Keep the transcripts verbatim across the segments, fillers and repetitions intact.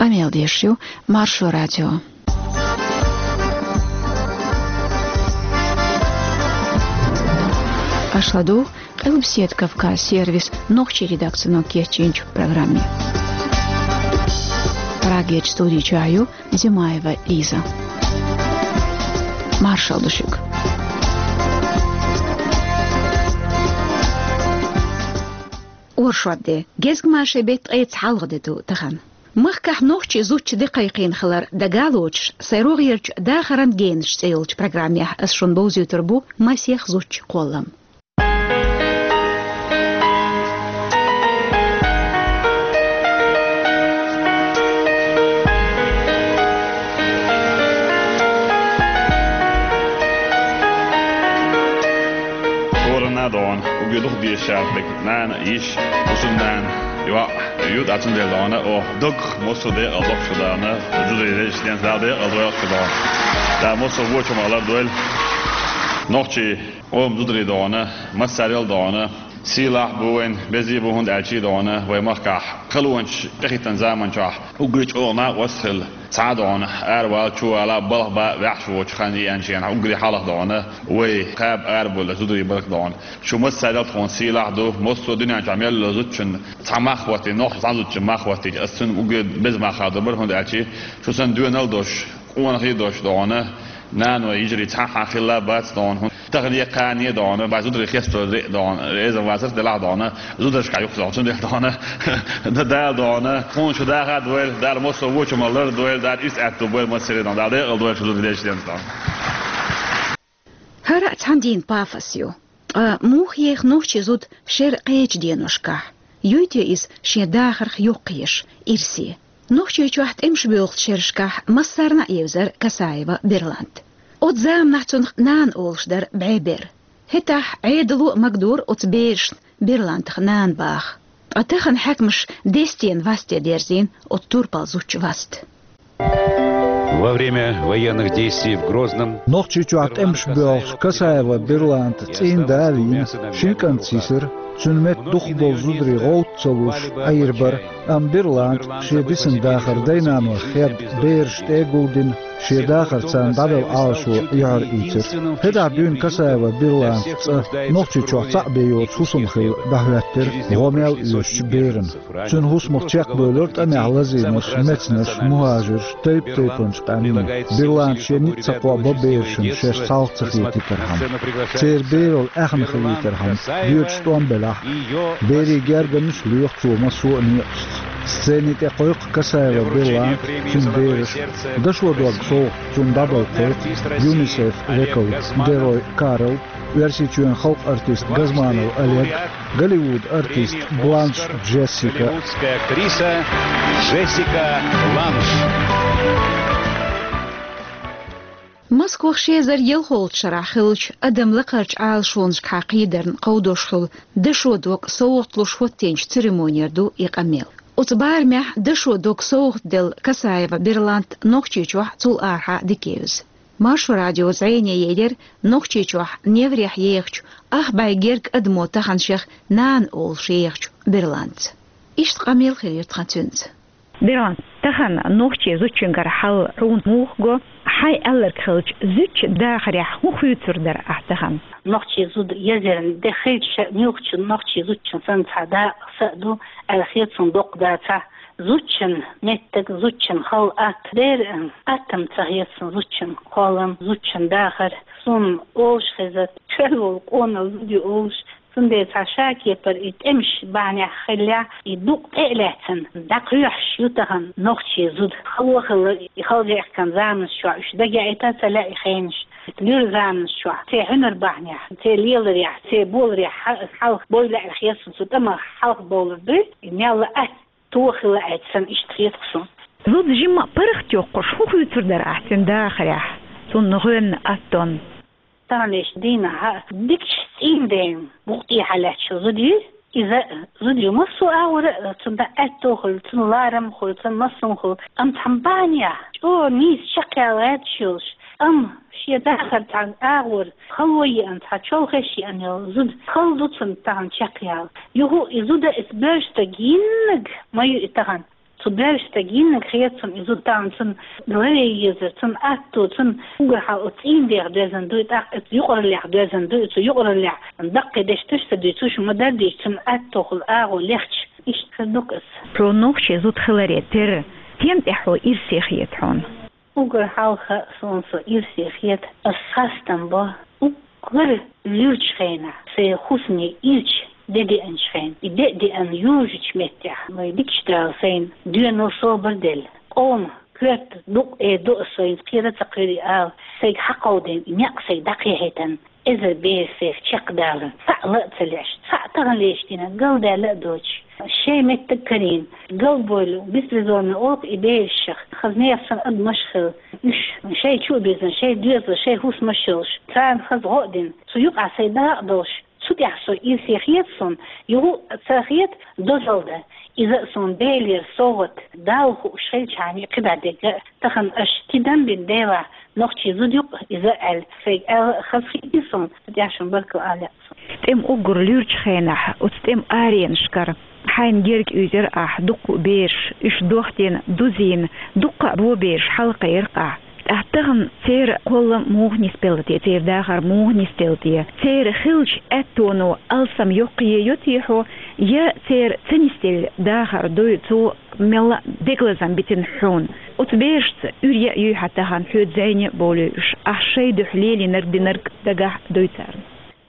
Къамел деш ю Маршо радио. Аша ладугӀу Къилбаседа Кавказ сервисан нохчийн редакцино кечйинчу программе. Прагерчу студи чохь ю Зимаева Лиза. Маршалла ду шуьга. Оршот де, гезгмашин беттан ткъе цхьалгӀа де ду тахана. Махкахь нохчийн зудчун де кхайкхийна хилар дага а лоцуш, сайн рогӀерчу «Дахаран генаш» цӀе йолчу программехь аса шуна бовзуьйтур бу масех зудчун кхоллам. Корана дона, угги дух дешар бек нана, йиш, усун нана, йоӀ, ю тӀе цундела дона, о, дог, мосо декъал доккхуш дона, зударий дешнен Дала декъал дойла шу дона. Да, мосо вочу ма лар дойла. Нохчий, о, зударий дона, массарел дона, сийлахь бу вайн, безий бу хӀунда аьлчий дона, вай махкахь, халонаш тӀехӀиттан заман чохь, уггар чӀогӀа накъост хилла. Цхьа а дона, аравала, чувала, балха бан ваьхьаш воцу хан еанчу хенахь уггаре хьалха дона, вай кхаба арабевлла зударий барх дона. Шу массарел тхуна сийлахь ду, массо а дуьнен чохь мел йолу зудчун цхьа мах хӀоттийна, нохча цхьа зудчун мах хӀоттийча, аса цунна уггаре беза мах хадо бара, хӀунда аьлча шу санна доьналла долуш, къонахий долуш дона, наной йижарий цхьа а хилла бац дона, хӀун Тахана е кхане а дона, бац зударий хесто зе а дона, реза вацарх делахь дона, зударшка юхадоху, цундела дона, да, Дала дона, тхуна шу даха а дойла, Дала массо а вочу ма лар дойла, Дала иза аьтту бойла массаре дона, Дала декъал дойла шу зударий дешнен дона. ХӀара а цхьана дийна пафос ю. Ткъа муха еха нохчийн зуда шеран кхечу деношкахь? Юй те иза шен дахарх йоккхаеш, ирсе? Нохчийчохь тӀемаш боьлхучу шерашкахь массарна а евзара Касаева Берлант. Оцу заманахь цунах нана олуш дара бӀе бер. ХӀетахь Ӏедало а магадора оцу берашна Берлантах нана баха. Ткъа тахана хьаькамаша дестен васте дерзийна оцу турпал зудчун васт. Во время военных действий в Грозном Нохчийчохь тӀемаш боьлхучу Касаева Берланта цӀийнда а вийна, шина кӀант йисира, цуьнан метта дукхахболу зударий гӀовтта ца луш, Ӏийр бара. Амма Берлант шен дисина дахар дай-нанойх хедда, бераш тӀе а гулдина, шен дахар царна дӀавелла Ӏалашо юьхьар ийцира. ХӀетахь дуьйна Касаева Берланта цӀа Нохчийчохь цхьаъ бен йоцу хӀусам хилла дӀахӀоьттира гӀо мел оьшучу берана. Цуьнан хӀусамах чекхбевлира тӀамехь лазийнарш, мецнарш, мухӀажирш, тайп-тайпанчу къаьмнийн. Берланта шен ницкъ ца кхоабо берашна шаьш схьалха ца хетийтархьама. Церан бералла аьхна хилийтархьама, доьдуш тӀом белахь а, берийн гергарнаш а лоьху цо массо а некъашца. Сцени тӀе кхойкху Касаева Берлант, цуьнан бераш, дашо дог совгӀат цунна дӀабала кхойкху ЮНИСЕФ векал Герой Карл, Оьрсийчоьнан халкъан артист Газманов Олег, Голливуд артист Бланш Джессика. Голливудская актриса Джессика Бланш. Москвахь ши эзар ялхолгӀачу шарахь хиллачу адам лакхарчу Ӏалашонашкахьа кхийдарна кховдош хуьлу дашо дог совгӀат луш хӀоттийначу церемонера ду и къамел. Оцу барамехь дашо дог совгӀат делла Касаева Берлант Нохчийчохь, цул арахьа дика евза. Маршо радио зӀене елира Нохчийчохь неврехь ехачу ах бӀе герга адамо тахана шех нана олуш ехачу Берлантца. Иштта къамел хилира тхан цуьнца. Берлант, тахана нохчийн зудчуьнгара хьал хьуна муха го, хьайн аьлларг хилча, зудчун дахарехь хӀун хуьйцур дара ахь тахана? Нохчийн зуда езарна де хилча, муьлххачу нохчийн зудчун санна цхьа дакъа са а ду, аьлла хета суна доккха дацахь, зудчун меттиг, зудчун хала атта дера, аттам ца хета суна зудчун кхоллам, зудчун дахар. Суна олуш хеза, чоьл волу къонах зуда ю олуш, цундела цхьа ша кепара и тӀемаш бахьанехь хиллехь, и дукъ тӀе а лаьцна, дӀакхоьхьуш ю тахана нохчийн зуда. Хало хилла и халжаьхкан заманаш чохь, уьш дагаяийта ца лаьа и хенаш. Луьра заманаш чохь, церан хьуьнар бахьанехь, церан леларехь, церан боларехь хьал-, хьалха бовла аьлла хета суна, цу тӀамах хьалха бовлар дуй, и мелла атта тохийла аьлла санна, иштта хета-кх суна. Зуда жимма а паргӀатйоккхуш, хӀун хуьйцур дара ахь цуьнан дахарехь, цунна гӀоьнна аттонна? Таханлерчу дийнахь дикачу цӀийнден букъ тӀехьа лаьтташ зуда ю. Иза зуда ю массо а агӀора а, цунна аьтто хуьлу, цунна ларам хуьлу, цунна массо а хуьлу. Амма цхьана бахьанехь чӀогӀа нийса чекхъяла гӀерташ йолуш, амма шен дахар цхьана агӀор хало еана, цхьа чолхеш еана йолу зуда хала ду цунна тахана чекхъяла. Юха и зуда, эца боьрша стаг йиннаг ма ю и тахана. Цу баьржа стаг йиннаг хетацун, иза тахан цун ларъе езар, цун атто, цун угар хьал оцу цӀийнан деха доьзна дуй, тӀаккха оцу юкъараллех доьзна дуй, оцу юкъараллех даккхий дешнаш ца дуй, цу шу ма-дарра дийцича, цун аттохула агӀо лехча, иштта хир ду-кх иза. Хьо нохчийн зуда хиларе терра, стен тӀехь хьо ирсе хета хьуна? Угар хьалха суна со ирсе хета, ас хастам бо, уггар луьрачу хенахь, сайн хӀусаме ирча де деанчу хенахь, и де а деана йожучу меттехь, вай дикачу Дала сайна доьналла собар делла, къоман коьрта дукъ э ду ас, сайна кхера а ца кхоьру и ала, сайга хьакховдийна и некъ сайга дӀакхехьийтина, эзар бер сайх чекхдаларна, цхьаъ ла а ца леш, цхьаъ таханлерчу дийнахь галдаьлла а доцуш, шайн меттиг карийна, галбевлла, беспризорный олу и берашах, хаза нехан санна адамаш а хилла, уьш шайн чу а бирзина, шайн доьзалш, шайн хӀусамаш а йолуш, царна хаза гӀо а дина, цу юкъахь сайн дакъа а долуш, цу тӀехь со ирсе хета суна, юха а ца хета дозалла дан. Иза а суна Делера совгӀат, Далла хууш хилчхьана, кхидӀа дерг а, тахана аша тидам бина Делахь, нохчийн зуда ю-кх иза аьлла, сайга аьлла а хазахетий суна, цу тӀехь шуна баркалла ала лаьа суна. ТӀеман уггар луьрачу хенахь, оцу тӀеман аренашкара хьайна герга уьйзира ахь дуккха а бераш, уьш дохдина, дузийна, дуккха а бо бераш хьалакхайира ахь. ТӀаккха тахана церан кхоллам муха нисделла те, церан дахар муха нисделла те? Церан хиллачу аьттоно алсам йоккхае йо те хьо, я церан ца нисделла дахар дуй, цо мелла а дегалазам битина хьуна? Оцу берашца уьйр яа юй хьан тахана, хьоьца зӀене а бовлуьй уьш, ахь шайн дуьхьа лелийнарг динарг дагахь а дуй царна?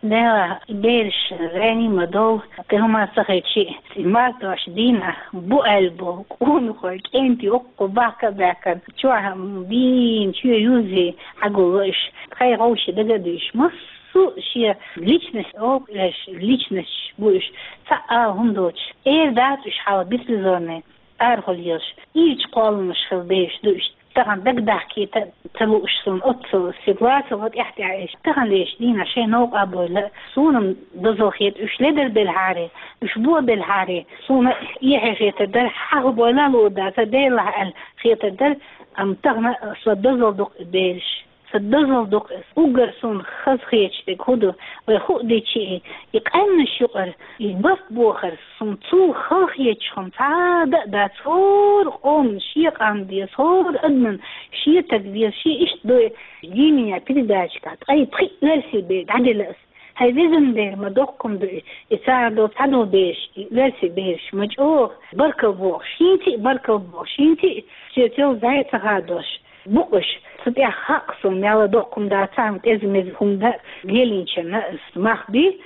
Делахь, и бераш зӀене ма довла, кхин хӀума ца хилча а, и мартошан дийнахь бу аьлла бу, къонахой, кӀентий, оккху бахка а баьхкина, чохь дийна, чоь юзий, хьагулло уьш, тхайн гӀовши дага а дуьйш, массо а шен личность олу уьш, личносташ бу уьш, цхьа а ала хӀума доцуш, эр дац уьш хьала беспризорный, арахула езаш, ирча кхолламаш хилла бераш ду уьш. Тахана дагадахкийта ца лууш суна оццул ситуаци ва тӀаьхь-тӀаьхьа еш. Таханлерчу дийнахь шайн новкъа а бевлла, суна-м дозалла хета, уьш ледар белхьара, уьш бо белхьара, суна эхье хетар дара, хьахабойла а луур дацара, Делахь аьлла хетар дара, амма тахана сан дозалла ду-кх и бераш. Сан дозалла ду-кх иза. Уггар суна хазахеташ дерг хӀун ду, вай хӀуъа дичи и, и къаьмнаш юкъара, и барт бохар, суна цул халахеташ хӀума цхьа а дан а дац, хӀора къоман шен къам деза, хӀора адаман шен таг деза, шен иштта ду и. Жди меня передача тӀехь ткъе пхиъ оьрсийн бер дӀаделла ас. ХӀай везан Дела, ма доккха хӀума ду и, и цара долу цхьадолу бераш, и оьрсийн бераш, ма чӀогӀа баркалла бохуш, хӀинца а баркалла бохуш, хӀинца а соьца йолу зӀе ца хадош. Бу-кх уьш, цу тӀехь хаьа-кх суна, мелла доккха хӀума дацахь а, тӀеза-меза хӀума дан лелийначарна а мах бий.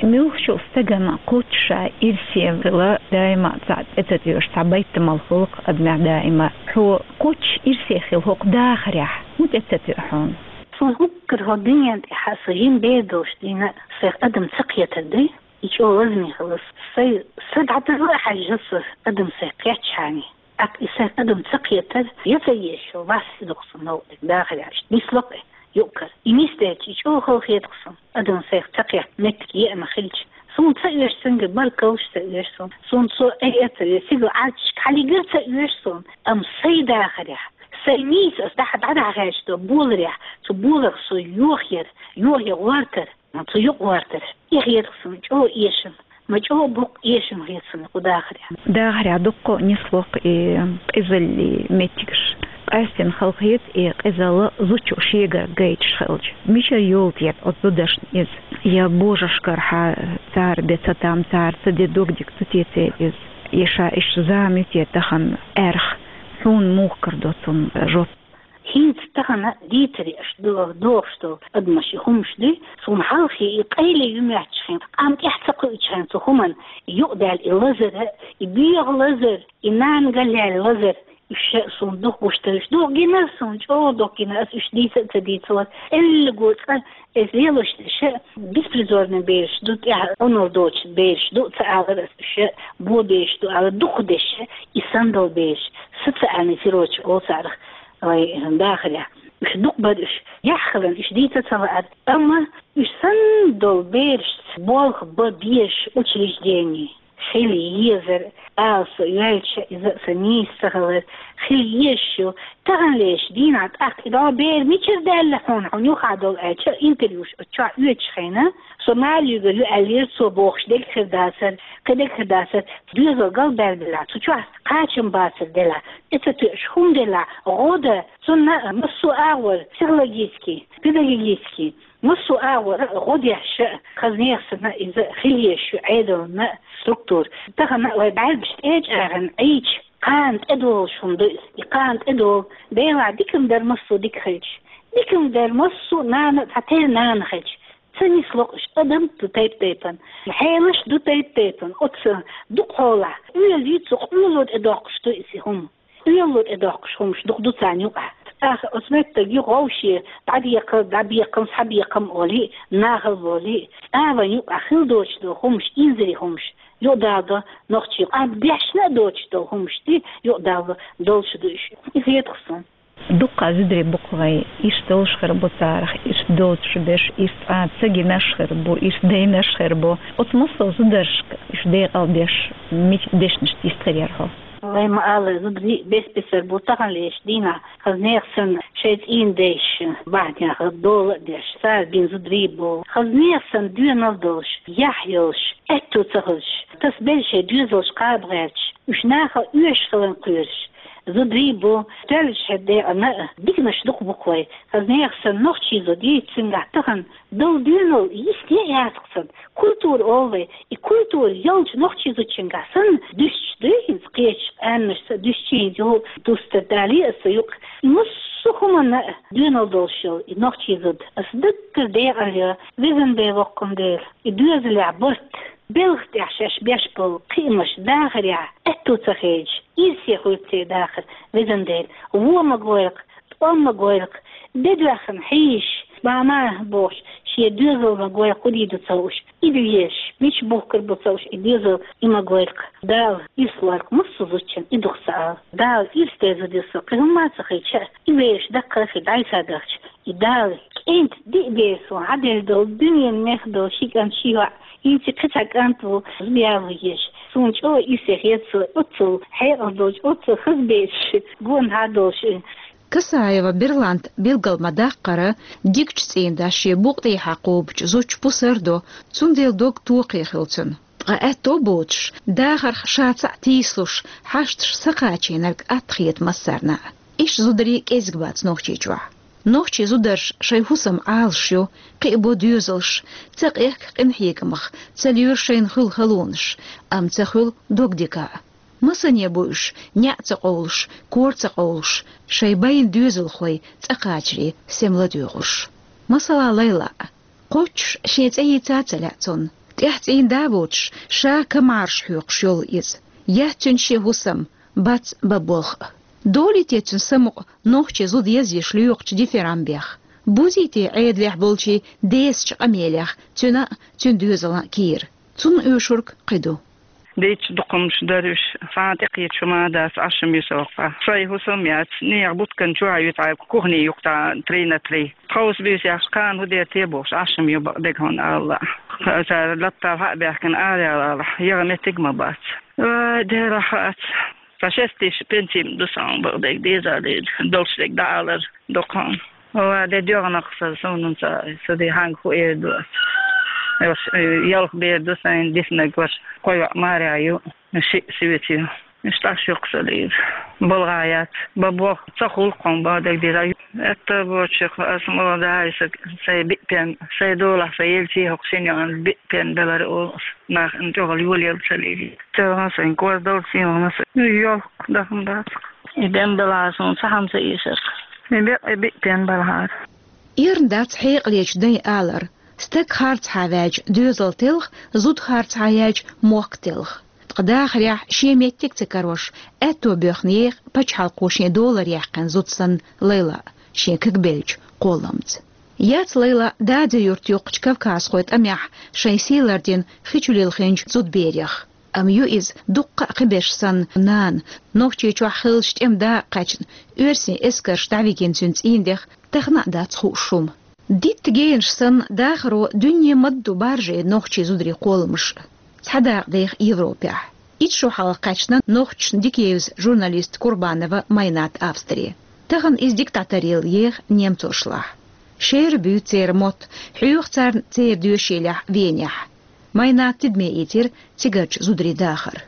Муьлххачу стагана кхоччуш ирсе хила даима а цхьа тӀе ца тоьуш, цхьа байтамал хуьлу-кх адамехь даима. Хьо кхоччуш ирсе хила хӀокху дахарехь хӀун тӀе ца тоьу хьуна? Суна уггар хӀокху дуьнен тӀехь сан жима бер долуш дийна, сайх адам ца кхетар дуй, и чӀогӀа лазаме хила ас. Сайн са дӀадала а хьаьжжа ас, адам сайх кхетчхьана. ТӀаккха и сайх адам ца кхетар, я ца езаш, вас и дукха сан новкъа дерг дахарехь. Иштта нисло-кх и юккъара. И нисделча, и чӀогӀа халахета-кх суна, адам сайх ца кхетта меттиг еана хилча. Суна ца оьшу цуьнга баркаллаш, ца оьшу суна. Суна цо айа ца оьшу, сигал Ӏаьрчашка хьалигар ца оьшу суна. Амма сайн дахарехь, сайн нийса ас дӀа-, дӀадахьа гӀерташ долу боларехь, цу боларх со йохаяр, йохаяр гӀортар. Цу юкъа гӀортар. И хетахь суна чӀогӀа эшам. Ма чӀогӀа боккха эшам хета суна кху дахарехь. Дахарехь дуккха а нисло-кх и къизаллин меттигаш. Къаьстина халахета и къизалла зудчо шегара гайташ хилча. Мичара йолу те оцу зудашна иза? Я божаршкара хьан цара бен ца там, цара ца де догдиг ца теций иза? Я ша иштта зама ю те тахана аьрха? Хьуна муха карадо цунна жоп? ХӀинца тахана дийцаре аша до-, дохуш долу адамаш и хӀумаш дуй, суна хьалхе и къайле ю моьттуш хилла, къам тӀаьхьа ца кхуьучу хилла цу хӀуманна, юкъадаьлла и лазар, и боьха лазар, и нана галъяьлла лазар, уьш ша суна дукха гуш дара, уьш дукха гинара суна, чӀогӀа дукха гина, ас уьш дийца а ца дийцалора, эллаго цкъа Эс лелош дерш беспризорный бераш ду, тӀехь Ӏунар доцуш бераш ду ца алар ас, уьш бо бераш ду алар, дукха дерш, и санна долу бераш, социальный сиротчик олу царах вай дахарехь. Уьш дукха бара уьш, яхь хиларна уьш дийца ца лаьара. Амма уьш санна долу берашца болх бан безаш учреждение. хила езар, ала со йоьлча, иза а са нийса ца хилар, хила езаш ю. Таханлерча дийнахьа тӀаккха и дӀо бер мичара даьлла хьуна, хьуна юха а долу аьлча, интервьюш оцу чохь оьцуш хенахь, со Мали юьгур ю аьллера цо бохуш, дегахь хир дацара, кхин дегахь хир дацара, доьзал галбаьлла делахь, цу чохь кхачам бацар делахь, и ца тоьаш хӀума делахь, гӀо дан, цунна массо а агӀор, психологический, педагогический, массо а агӀор гӀо деш а, хаза нехан санна иза хила езаш ю Ӏедална структура. Тахана вай бӀаьргаш тӀечӀагӀна Ӏийча, кхана тӀедолуш хӀума ду иза. И кхана тӀедолу, Делахь дика-м дара массо а дика хилча. Дика-м дара массо а нана а цхьа тера нана хилча. Ца нисло-кх уьш, адам ду тайп-тайпана. Хьелаш ду тайп-тайпана. Оцу дукхахьолахь, оьла ю цу къоьлло тӀедоккхуш ду иза хӀума. Оьлло тӀедоккхуш хӀумаш дукха ду царна юкъахь. ТӀаккха оцу меттиг ю гӀовше, дӀадекхар, дӀабекхам, схьабекхам олий, нахал болий, цӀа вайн юкъахь хила доцуш долу хӀумаш, инзаре хӀумаш, юкъадала до нохчийн, а дешна а доцуш долу хӀумаш ди, юкъадала долуш ду уьш. И хетахь суна. Дуккха зударий бу-кх вайн, иштта долуш хир бу царах, иштта доцуш берш, иштта цкъа а ца гинарш хир бу, иштта дайнарш хир бу. Оцу массо а зударшка уьш декъал беш, мича дешнаш йист хир яра хьо? Вай ма-аллара, зударий бес-бесар бу, таханлерча дийнахь хаза нехан санна шайн цӀийнан дайша бахьанехь дола а деш, цара бина зударий бу. Хаза нехан санна доьналла долуш, яхь йолуш, аьтту ца хилча, тасабелла шайн доьзалш кхаба гӀерташ, уьш нахала оьшуш хиларна кхоьруш зударий бу. Тоьллачу хӀара декъана а диканаш дукха бу-кх вай. Хаза нехан санна нохчийн зуда йийца цуьнгахь тахана долу доьналла йисте а яц-кх цуьнан. Культура олу вай. И культура йолчу нохчийн зудчуьнгахь санна дуьстуш дуй хӀинца кхечу къаьмнашца, дуьстуш хӀинца юха дустар далий аса юкъа. И массо а хӀуманна а доьналла долуш йолу и нохчийн зуда. Аса даггара декъал йо, везан Дела, воккхун Дела, и доьзалехь барт, белхан тӀехь шаьш беш болу кхиамаш дахарехь аьтту ца хедаш, ирсе хуьлу церан дахар, везан Дела, вон ма гойла-кх, тӀом ма гойла-кх, де доьхна хьийзаш, мама бохуш, шен доьзал ма гойла-кх, хӀун дийр ду ца хууш, и доьзал мича бухкур бу ца хууш, и доьзал и ма гойла-кх. Дала ирс лойла-кх массо а зудчунна, и дукха ца ала. Дала ирс дерзадо со, кхин хӀумма а ца хилча а, и бераш даккхал хир дӀасадахча, и Дала кӀентан диъ бер суна хьаделла долу, дуьненан мех долу ши кӀант, ши йоӀ, хӀинца кхин цхьа кӀант ву, зуда яло езаш. Суна чӀогӀа ирсе хета со, оццул хьекъал долчу, оццул хаза бераш гонахьа долуш. Касаева Берланта билгал ма-даккхара, дикачу цӀийнан дас шен букъа тӀехьа кхобучу зудчу пусар до, цундела дог тохий хилла цуьнан. Ткъа аьтто боцуш, дахарх ша цхьаъ тийсалуш, хьашташ са кхачийнарг атта хета массарна а. Иштта зударий кӀезиг бац Нохчийчохь. Нохчийн зударша шайн хӀусам Ӏалаш ю, кхиабо доьзалш, ца къехка къинхьегамах, ца лоьру шайна хуьлу халонаш, амма ца хуьлу догдика а. Масане бу уьш, неӀ ца къовлуш, кор ца къовлуш, шайн байна доьзалхой цӀа кхачаре сема ладоьгӀуш. Масала, Лайла. Кхоччуш шен цӀе йийца а ца лаьа цунна. ТӀаьхьа цӀийнан да а воцуш, ша камарш хьоькхуш йолу иза. Яц цуьнан шен хӀусам, бац бан болх а. Долий те цуьнан самукъа нохчийн зуда езъеш лоькхучу дифирамбех? Бузий те Ӏедалехь болчийн десачу къамелех цуьнан а, цуьнан доьзалан а кийра? Цунна оьшург кхин ду. Дийцча дукха хӀумнаш дара уьш, цхьа а тӀекхеташ хӀума а дац, Ӏаш ма ю со воккха. Шайн хӀусам яц, нехан буткан чохь ю цхьа кухни юккъехь три на три. Тховса буьйса яхаш, кхана хӀун дер те бохуш, Ӏаш ма ю бакъдерг хьуна ала. Цара лаптал хьа а баьхкина, ара ялалахь, яха меттиг а ма бац. Вай, Дела, хац. Цхьа шесть тысяч пенсий ма ду сан бакъдерг деза а деза. Долуш дерг дӀаалар дукха хьуна. Ва де доьгӀнакх сан, суна ца, ца де хьанга хӀун эр ду ас. Аш, э, ялх бер ду сайн диснарг, ваша кхо йоӀ марехь ю, шиъ соьца ю. Иштта Ӏаш ю-кх сан деза. БалгӀа яц. Бан болх ца хуьлу-кх хьуна, бан дагадеъча. Аьтто боцуш ас ма ван, да, аса сайн биъ пен, сайн долахь, сайн елчий хӀокху шина йоӀана биъ пен белар олу ас. Нах ин чӀогӀа йолаелла ца лийри. Церан сайн кор долу сийна ма сан. Йолх даха ма дац-кх. И бен белахь суна цхьа хӀума ца эшар. И бекъ, и биъ пен белахьара. Эрна дац хьекъалечу дайн алар: стаг харцахьа ваьлча, доьзал телха, зуда харцахьа яьлча, мохк телха. Ткъа дахарехь шен меттиг а ца карош, аьтто боьхна еха пачхьалкхо шен долара яьккхина зуда санна Лайла шен кагбеллачу кхолламца. Яц Лайла Дадин-Юрт юккъачу кавказхойн тӀамехь шайн сий лардина хи чу лилхинчу зудаберех. Амма ю иза дуккха а кхин берш санна нана, Нохчийчохь хиллачу тӀеман дакъа кхаьчна, оьрсийн эскарша дӀавигина цуьнан цӀийнан дех тахана а дац хууш хӀума. Дитта генаш санна дахаро дуьне ма-дду баржийна нохчийн зударийн кхолламаш. цхьа дакъа деха Европехь. Итт шо хьалха кхаьчна нохчашна дика евза журналист Курбанова Майнат Австре. Тахана иза дика дӀатаръелла еха немцошлахь. Шера буьйцу церан мотт, хьоьху царна церан доьшийлехь Венехь. Майнат тидаме ийцира цигарчу зударийн дахар.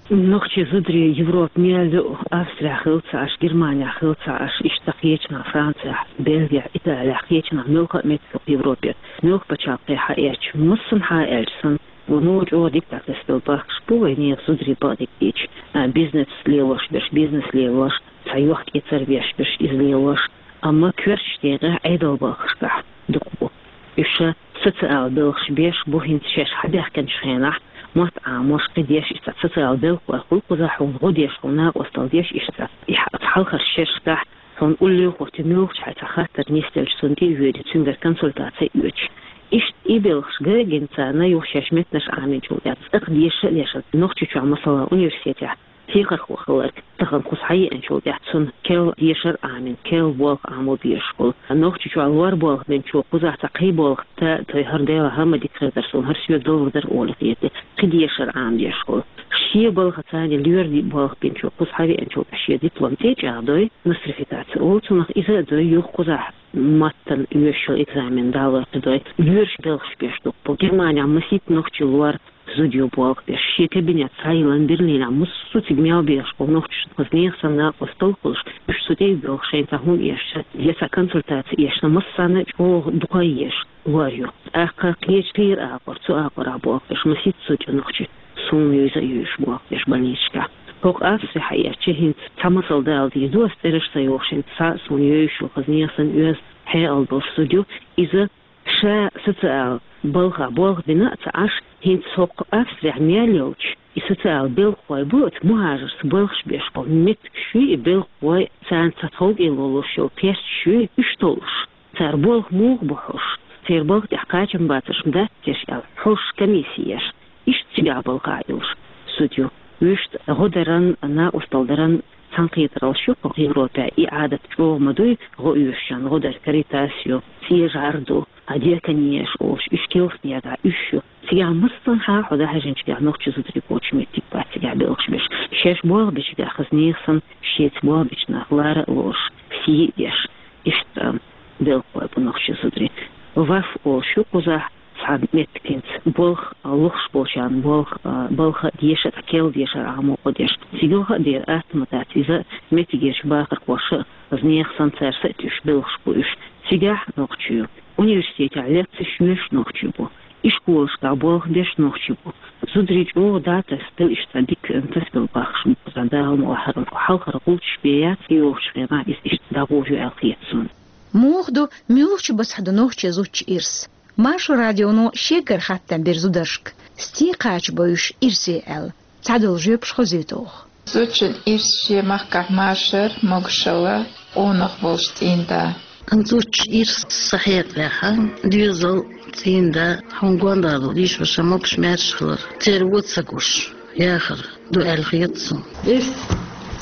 Нохчийн зударий Европа мел ю, Австрехь хилла ца Ӏаш, Германехь хилла ца Ӏаш, иштта кхечанхьа Францехь, Бельгехь, Италехь, кхечанхьа муьлхха а меттиг Европехь, муьлхха пачхьалкхехь хьаэцча, массанхьа а аьлча санна, вон чӀогӀа дика дӀатасабелла бахкаш бу вайн нехан зударий бакъдерг дийцича, а, бизнес лелош берш, бизнес лелош, цхьа йохк-эцар беш берш, иза лелош, амма коьртачу декъехь Ӏедалан балхашкахь дукха бу. Уьш социал белхаш беш бу хӀинца шаьш хьабаьхкинчу хенахь, мотт Ӏамош, кхидеш, иштта социал белхалой хуьлу кхузахь хьуна гӀо деш, хьуна накъосталла деш, иштта и хьа-, хьалхарчу шерашкахь хьуна уллехь хӀоттий муьлххачу хьайн цхьа хаттар нисделча, цунна тӀе а воьдий, цуьнгара консультаци а оьцуш. Иштта и белхаш гина царна юха шаьш меттанаш Ӏамийначул тӀаьхьа, цӀаккха деша а дешна, Нохчийчохь, масала, университетехь техархо хилларг тахана кхуза схьаеанчул тӀаьхьа цунна керла дешар а Ӏамийна, керла болх Ӏамо безаш хуьлу. Нохчийчохь лор болх бинчо кхузахь цхьа кхин болх тӀе а тойхира, Дела, хӀара ма дика хир дара суна, хӀара соьга далур дара олий хета, кхин дешар Ӏамош хуьлу. Шен балха царна лоьрийн болх бинчо кхуза схьавеанчул тӀаьхьа шен диплом тӀе а чӀагӀдой, нострификаци олу цунах, иза а дой, юха кхузахь маттана оьшуш йолу экзамен далор кхидой, лоьраш белхаш беш дукха бу. Германехь масийтта нохчийн лор зуда ю болх беш. Шен кабинет схьайиллина Берлинехь, массо а цига мел бехаш болу нохчашна хаза нехан санна накъосталла хуьлуш, уьш цу тӀе а боьлхуш, шайна цхьа хӀума эшча, я цхьа консультаци эшна, массарна а чӀогӀа дукха езаш лор ю. ТӀаккха кхечу кхийра агӀор, цу агӀорахь болх беш, масийтта зуда ю нохчийн, суна юьйза а юьйш болх беш больницашкахь. ХӀокху Австрехь хьаэцча, хӀинца цхьа масал дала дийр ду ас, цӀераш ца йохуш, хӀинца цхьа а суна юьйш ю, хаза нехан санна оьзда хьекъал долуш зуда ю, иза ша социал балхахь болх бина а ца Ӏаш, хӀинца хӀокху Австрехь мел йолчу и социал белхалой бу, оцу мухӀажаршца балхаш беш болу меттигаш ю и белхалой, царна цхьа тховкӀело луш йолу кхерчаш ю уьш толлуш. Цара болх муха бу хьош, церан балха тӀехь кхачам бацарш дац деш аьлла, хьош комисси еш, иштта цигахь балхахь йолуш зуда ю. Вуьшта гӀо даран, накъосталла даран цхьаьнакхетараллаш ю кху Европехь, и Ӏадат чӀогӀа ма дуй, гӀо оьшучарна гӀо дар, Каритас ю, ЦӀен ЖӀар ду, а, Диакони еш олуш, уьш килсанера, уьш ю. Цигахь массанхьа хьо дӀахьаьжначигахь нохчийн зударий боцуш меттиг бац цигахь белхаш беш. Шаьш болх бечигахь хаза нехан санна, шеца болх бечу нах лара а лоруш, сий а деш, иштта белхалой бу нохчийн зударий. ВАФ олуш ю кхузахь, цхьа меттиг хӀинца болх, а, лохуш болчарна болх, а, балха а деша, цхьа керла дешар Ӏамо гӀо деш. Цига юха а дера атта ма дац, иза меттигерчу бахархоша а, хаза нехан санна, цара са а туьйсуш белхаш бу уьш. Цигахь нохчий ю. Университетехь лекцеш йоьшуш нохчий бу. Ишколашкахь болх беш нохчий бу. Зударий чӀогӀа дӀатасабелла, иштта дика тасабелла бахкаш бу кхузахь, Дала мукъ лахь, хӀара хьалхара гӀулчаш бен яц, и йолчу хенахь иза иштта дӀагӀур ю аьлла хета суна. Муха ду, муьлхачу басахь ду нохчийн зудчун ирс? Маршо радионо шеггара хаттам бира зударшка, стен кхача бо уьш ирсе аьлла. Цхьадолу жоьпаш хозуьйту оха. Зудчун ирс шен махкахь машар, могушалла, къонах волуш цӀийнда. Зудчун ирс сан хьекъалехь, доьзал, цӀийнда, хьуна гондагӀа долу йиша-ваша могуш-маьрша хилар, церан вон ца гуш яхар ду аьлла хета суна. Ирс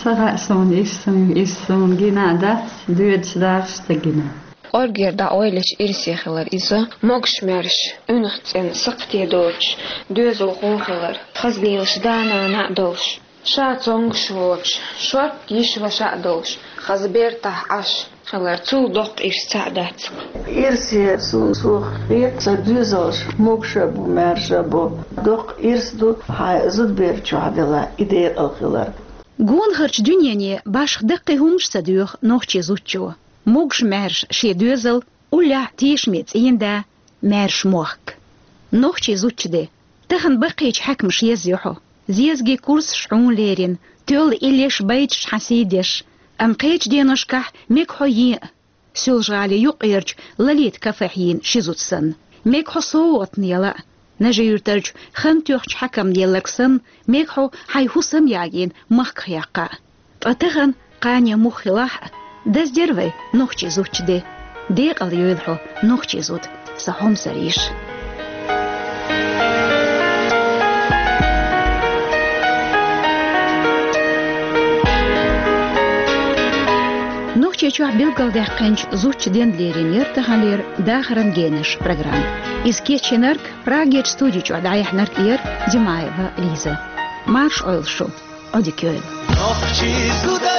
ца хаьа суна, ирс суна, ирс суна гина а дац, доьдуш дахарш ца гина. КӀоргера дӀаоьллачу ирсе хилар иза, могуш-маьрша, уьнах цӀена, сакхте доцуш, доьзал гӀо хилар, хаза лелаш да-нана а долуш, ша цомгуш воцуш, шорта йиша-ваша а долуш, хаза бертахь Ӏаш хилар, цул доккха ирс цхьаъ дац. Ирсе суна, суна хета, сан доьзалш могуш а бу, маьрша а бу. Доккха ирс ду хьайн зудабер чохь делахь и декъала хилар. Гонахарчу дуьнене башха даккхий хӀуманаш ца доьху нохчийн зудчо. Могуш-маьрша шен доьзал, уллехь тешаме цӀийнда, маьрша мохк. Нохчийн зудчун де. Тахана баккхийчу хьаькамаша езйо хьо. Зезагийн курсаш хьуна лерина, тоьлла иллеш, байташ хьан сий деш. Амма кхечу деношкахь мега хьо ен а. Соьлжа-ГӀалин юккъерчу Лолита кафехь йийна ши зуда санна. Мега хьо совгӀатна яла а. Нажи-Юьртарчу хан тоьхначу хьаькамна елларг санна, мега хьо хьайн хӀусам ягийна махках яккха а. Ткъа тахана кхане муха хилахь а, даздера вай нохчийн зудчун де. Декъала йойла хьо нохчийн зуда, сан хьомсара йиша. Нохчийчохь билгалдаьккхинчу зудчун денна лерина яра таханлера «Дахаран генаш» программа. Иза кечйинарг, Прагерчу студи чохь дӀаяьхьнарг яра Димаева Лиза. Марша Ӏойла шу, Ӏодика йойла. Нохчийн зуда